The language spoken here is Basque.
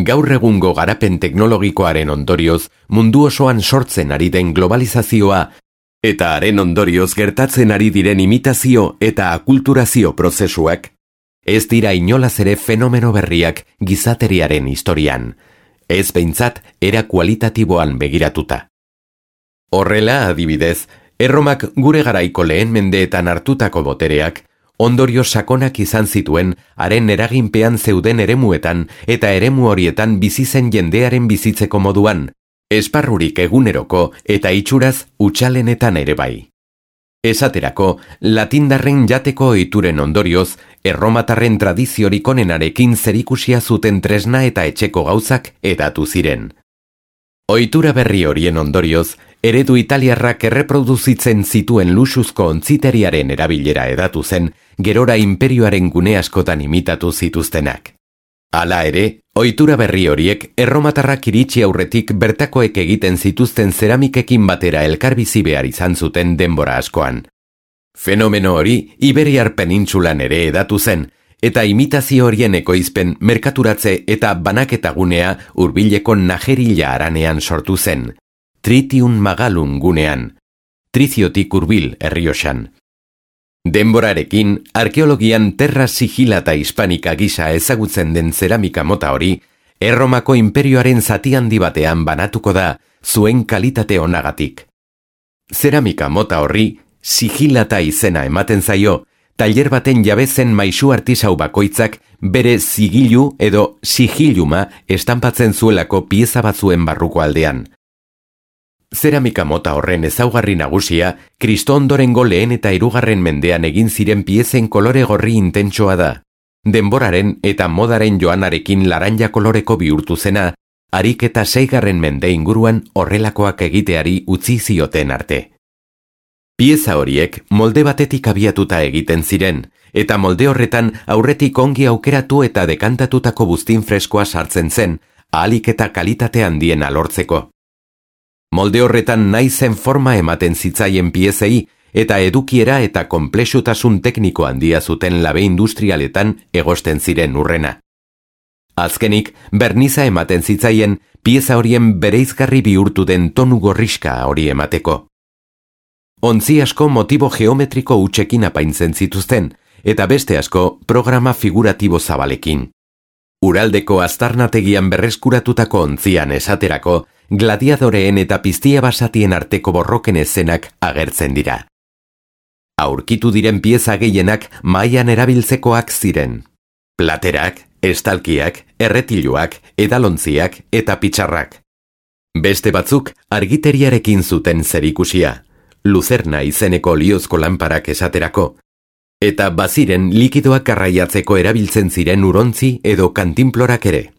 Gaur egungo garapen teknologikoaren ondorioz mundu osoan sortzen ari den globalizazioa eta haren ondorioz gertatzen ari diren imitazio eta akulturazio prozesuak ez dira inolaz ere fenomeno berriak gizateriaren historian, ez behintzat era kualitatiboan begiratuta. Horrela, adibidez, Erromak gure garaiko lehen mendeetan hartutako botereak ondorio sakonak izan zituen haren eraginpean zeuden eremuetan eta eremu horietan bizi zen jendearen bizitzeko moduan, esparrurik eguneroko eta itxuraz hutsalenetan ere bai. Esaterako, latindarren jateko ohituren ondorioz, erromatarren tradiziorik onenarekin zerikusia zuten tresna eta etxeko gauzak hedatu ziren. Ohitura berri horien ondorioz, eredu italiarrak erreproduzitzen zituen luxuzko ontziteriaren erabilera hedatu zen, gerora inperioaren gune askotan imitatu zituztenak. Hala ere, ohitura berri horiek erromatarrak iritsi aurretik bertakoek egiten zituzten zeramikekin batera elkarbizi behar izan zuten denbora askoan. Fenomeno hori Iberiar penintsulan ere hedatu zen, eta imitazio horien ekoizpen merkaturatze eta banaketa gunea hurbileko Najerilla haranean sortu zen, Tritium Magalum gunean, Triciotik hurbil Errioxan. Denborarekin, arkeologian terra sigillata hispanika gisa ezagutzen den zeramika mota hori, Erromako inperioaren zati handi batean banatuko da zuen kalitate onagatik. Zeramika mota horri sigillata izena ematen zaio, tailer baten jabezen maisu artisau bakoitzak bere zigilu edo sigilluma estanpatzen zuelako pieza batzuen barruko aldean. Zeramika mota horren ezaugarri nagusia, Kristo ondorengo lehen eta 2. mendean egin ziren piezen kolore gorri intentsoa da. Denboraren eta modaren joanarekin laranja koloreko bihurtu zena, harik eta 6. mende inguruan horrelakoak egiteari utzi zioten arte. Pieza horiek molde batetik abiatuta egiten ziren, eta molde horretan aurretik ongi aukeratu eta dekantatutako buztin freskoa sartzen zen, ahalik eta kalitate handiena lortzeko. Molde horretan nahi zen forma ematen zitzaien piezei eta edukiera eta konplexutasun tekniko handia zuten labe industrialetan egosten ziren urrena. Azkenik, berniza ematen zitzaien pieza horien bereizgarri bihurtu den tonu gorriska hori emateko. Ontzi asko motibo geometriko hutsekin apaintzen zituzten, eta beste asko programa figuratibo zabalekin. Uraldeko aztarnategian berreskuratutako ontzian esaterako, gladiadoreen eta piztia basatien arteko borroken eszenak agertzen dira. Aurkitu diren pieza gehienak mahaian erabiltzekoak ziren. Platerak, estalkiak, erretiluak, edalontziak eta pitxarrak. Beste batzuk argiteriarekin zuten zerikusia, luzerna izeneko liozko lanparak esaterako, eta baziren likidoak garraiatzeko erabiltzen ziren urontzi edo kantinplorak ere.